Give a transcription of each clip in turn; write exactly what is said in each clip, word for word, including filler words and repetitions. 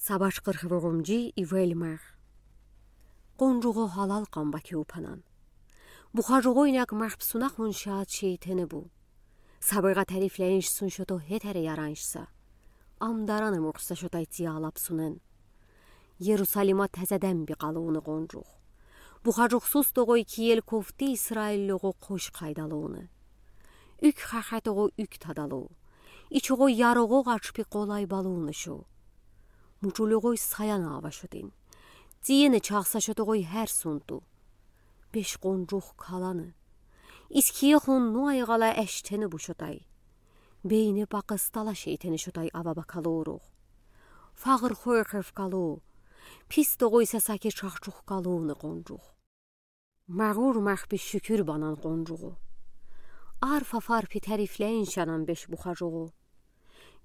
Са башкъыр хвогъомжи ивель мег. Къунжугъо гьалал кьан бакивпанан. Бухажугъойнаг мехпсунахун шад шейтенебу. Сабыга тарифлейншсун шото гьетер яраншса. Амдаран эмукьса шотай ци алапсунен. Ерусалима тезеден би къалуна къунжугъ. Бухажугъсуз тогъой киел кофти Исраиллюгъо къош къайдалуна. Уьк хахетогъо уьк тадалу. Ичугъо ярогъо гъачпи къолай балуна шу. Мучулюгъой саяна ава шотин. Цияна чагъса шотогъой гьер сунту. Беш къунжугъ калана. Искиехун нуай гъала эштенебу шотай. Бейне пакъыстала шейтене шотай ава бакалуругъ. Фагъыр хойхев калу. Пис тогъой сасаки чахчух калуна къунжугъ. Магъур мехпи шуькюр банан къунжугъу. Арф афарпи тарифлейншанан беш бухажугъу.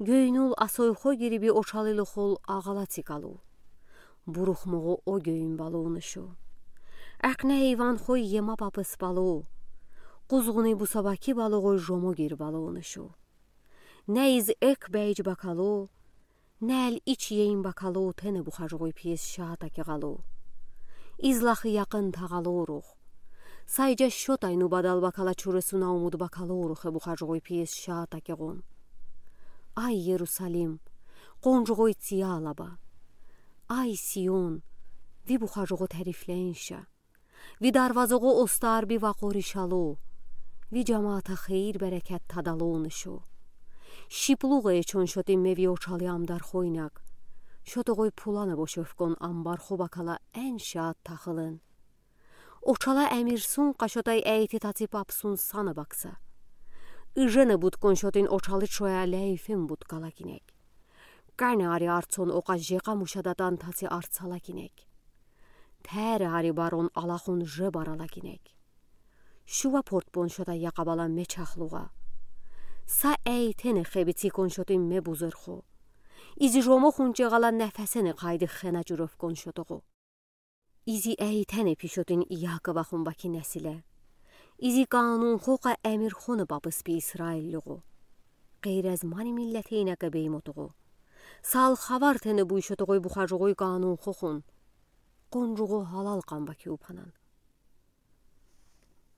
Гёйнул асойхо гириби очалилухул агъала цикалу. Бурухмугъу о гёйн балуна шу. Экъне эйванхой ема папыс балу. Къузгъуни бусабаки балугъой жомо гир балуна шу. Не из эк бейж бакалу, не эл ич ейн бакалу тене бухажугъуй пис шатаки гъалу. Из лахы якъын тагъалуругъ. Сайжа шотай нубадал бакала чуресуна умуд бакалурухэ бухажугъуй пис шатаки гъун. Ай Ерусалим, къунжугъуй ци алаба. Ай Сион, ви бухажугъу тарифлейнша. Ви дарвазугъу остар би вакъури шалу. Ви жамаата хейир берекет тадалуна шу. Шиплугъ эчун шотин ме ви очали амдархойнаг. Шотогъой пулана бошевкон амбархо бакала эн шат тахылын. Очала эмирсун къа шотай эйти таци папсун сана бакса. Ыжена будкун шотин очали чоя лейфин будкала кинег. Кана ари арцон окъа жекъа мушадатан таци арцала кинег. Тер ари барон алахун же барала кинег. Шува портпун шота якъабала мечахлугъа. Са эйтене хеби цикун шотин ме бузырху. Изи жомохун чегъала нефесене къайди хена чуревкун шотогъу. Изи эйтене пи шотин Иаковахун баки несиле. Изи канун хокъа эмир хона бапыс пи Исраиллюгъу. Къейрез мани миллетейнеке беймотугъу. Сал хавар тене буйшотугъуй бухажугъуй канун хохун. Къунжугъу гьалал къан бакивпанан.